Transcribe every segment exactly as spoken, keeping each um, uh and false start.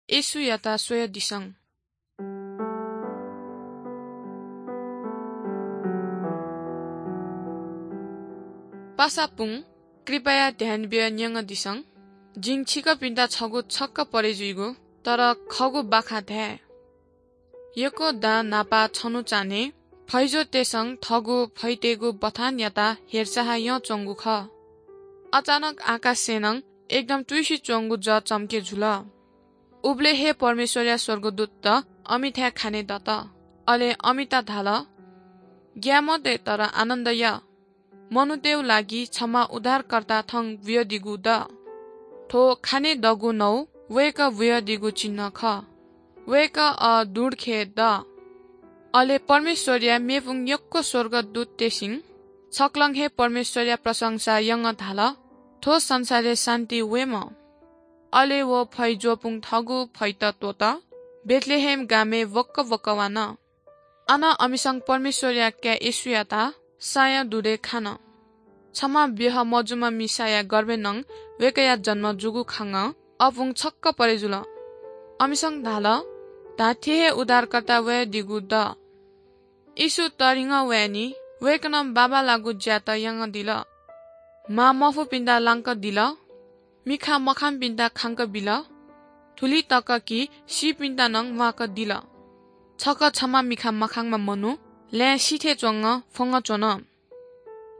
येशूयात स्वयादिसँ। पासापुं, कृपया ध्यान बियाः न्यंगदिसँ। जिं छिकपिन्त छगू छक्क परे जुइगु, तर खःगु बाखं धाये। यक्व दां न्हापा छन्हु चान्हय् फैजूतय्सं थःगु फैतय्गु बथानयात हेरचाह यंच्वंगु खः। अचानक आकाशय् नं एकदम तुइसिच्वंगु जः चम्के जुल। उबलय् हे परमेश्वरया स्वर्गदूतत अमिथाय् खाने दत। अले अमित धाल, "ग्याये मते, तर आनन्द या। मनूतय्गु लागि छम्ह उद्धारकर्ता थौं बुयादीगु द। थ्व खाने दःगु नौ वय्कः बुयादीगु चिन्ह खः। वय्कः अ दुँडखे द।" अले परमेश्वरया मेपुं यक्व स्वर्गदूततय्सिं छकलं हे परमेश्वरया प्रशंसा यंगः धाल, "थ्व संसारय् शान्ति वयेमा।" अले व फैजूपुं थःगु फैत त्वःत बेथलेहेम गामय् वक्क वक्क वान। अन अमिसं परमेश्वरया काय् येशूयात साँया दुरे खान। छम्ह ब्यहा मजूम्ह मिसाया गर्भय् नं वय्कःया जन्म जूगु खंगः अपुं छक्क परे जुल। अमिसं धाल, "धात्थें हे उद्धारकर्ता वयादीगु द।" येशू तःधिंगः वयानि। वय्कलं बांबांलाःगु ज्यात यानादिल। मांमफुपिन्त लांकादिल, मिखा मखांपिन्त खांकाबिल, थुलि तक कि सीपिन्त नं म्वाकादिल। छकः छम्ह मिखा मखांम्ह मनू लँय् सिथय् च्वंगः फ्वंगः च्वन।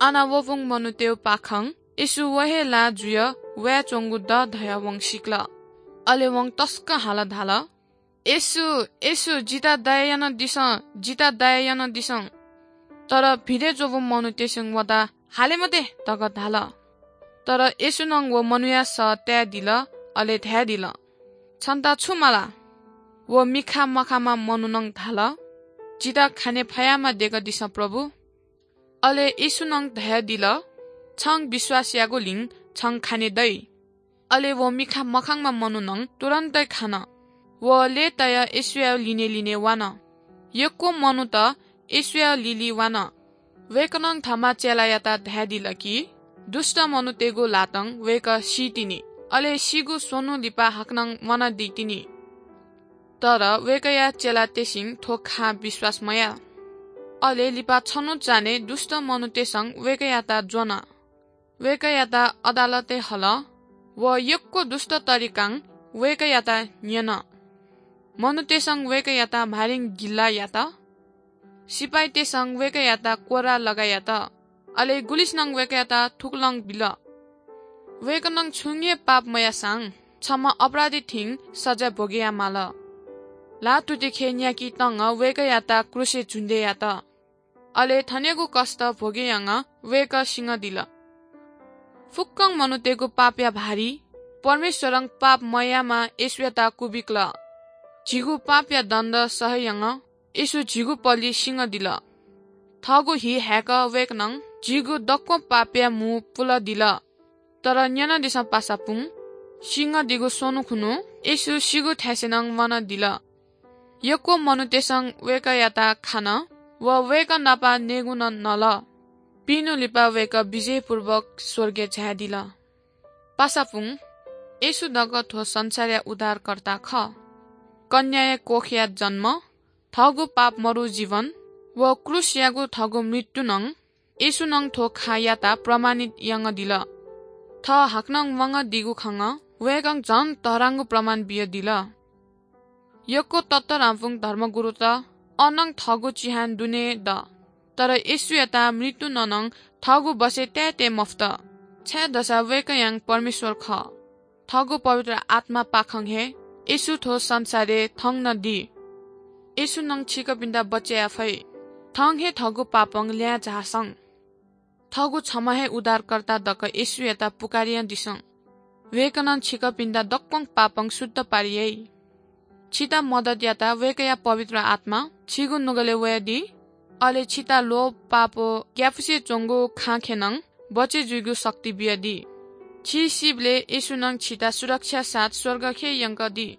अन वःपुं मनूतय्गु पाखं येशू व हे लाः जुयाः वयाच्वंगु द धयाः वं सिकल। अले वं तसकं हालाः धाल, "येशू, येशू, जितः दया यानादिसँ, जितः दया यानादिसँ।" तर भिडय् च्वंपिं मनूतय्सं वयात "हाले मते" धकाः धाल। तर येशूं नं व मनूया सः तायेदिल, अले धायेदिल, "छन्त छु माला?" व मिखा मखांम्ह मनुखं धाल, "जितः खाने फयाःम्ह दय्कादिसँ प्रभु।" अले येशूं नं धयादिल, "छं विश्वास याःगुलिं छं खाने दइ।" अले व मिखा मखांम्ह मनुखं तुरुन्त खान। व लय्तायाः येशूया लिने लिने वान। यक्व मनूत येशूया लिलि वान। वय्कलं थःम्ह चेलायात धयादिल कि दुष्ट मनूतय्गु ल्हातं वय्कः सीतिनि, अले सीगु स्वन्हु लिपा हाकनं म्वानादी तिनि। तर वय्कःया चेलातय्सिं थ्व खँ विश्वास मयाः। अले लिपा छन्हु चान्हय् दुष्ट मनूतय्सं वय्कःयात ज्वन। वय्कःयात अदालतय् हल। व यक्व दुष्ट तरिकां वय्कःयात न्यन। मनूतय्सं वय्कःयात मारिं गिल्ला यात। सिपाइँतय्सं वय्कःयात कोर्रां लगा यात। अले गुलिसिनं वय्कःयात थुकलं बिल, "वय्कलं छुं हे पाप मयाःसां छम्ह अपराधी थें सजाँय भोगे यायेमाल।" ल्हातुतिखे न्याकीतं वय्कःयात क्रूसय् झुन्डय् यात। अले थनेगु कष्ट भोगे यानाः वय्कः सिनादिल। फुक्कं मनूतय्गु पापया भारी परमेश्वरं पाप मयाःम्ह येशूयात क्वबिकल। झीगु पापया दण्ड सहे यानाः येशू झीगु पलि सिनादिल। थःगु हि हाय्कः वय्कलं झीगु दक्व पापया मू पुलादिल। तर न्यनादिसँ पासापुं, सिनादीगु स्वन्हु खुन्हु येशू सीगु थासय् नं म्वानादिल। यक्व मनूतय्सं वय्कःयात खान व वय्कः नाप नयेगु नं नल। पिइन्हु लिपा वय्कः विजयपूर्वक स्वर्गय् झायादिल। पासापुं, येशू जक थ्व संसारया उद्धारकर्ता खः। कन्याया कोखया जन्म, थःगु पाप मदु जीवन व क्रूसयागु थःगु मृत्युं येशूं थ्व खँयात प्रमाणित यानादिल। थः हाकनं म्वानादीगु खँं वय्कलं झन तःधंगु प्रमाण बियादिल। यक्व ततःधंपुं धर्मगुरुत अनं थःगु चिहान दुने द, तर येशूयात मृत्युं नं थःगु बसय् तायेतये मफुत, छाय्धाःसा वय्कःयां परमेश्वर खः। थःगु पवित्र आत्मापाखें हे येशू थ्व संसारय् थौं नं दी। येशूं छिकपिन्त बचय् याये फइ। थौं हे थःगु पापं ल्याय् झासँ। थःगु छम्ह हे उद्धारकर्ता जक येशूयात पुकारियादिसँ। वय्कलं छिकपिन्त दक्वं पापं शुद्ध पारि याइ। छित मदत यात वय्कःया पवित्र आत्मा छिगु नुगलय् वयादी। अले छित लोभ, पाप व ग्यापुसे च्वंगु खँखँ नं बचय् जुइगु शक्ति बियादी। छि सीबलय् येशूं छित सुरक्षा साथ स्वर्गखे यंकादी।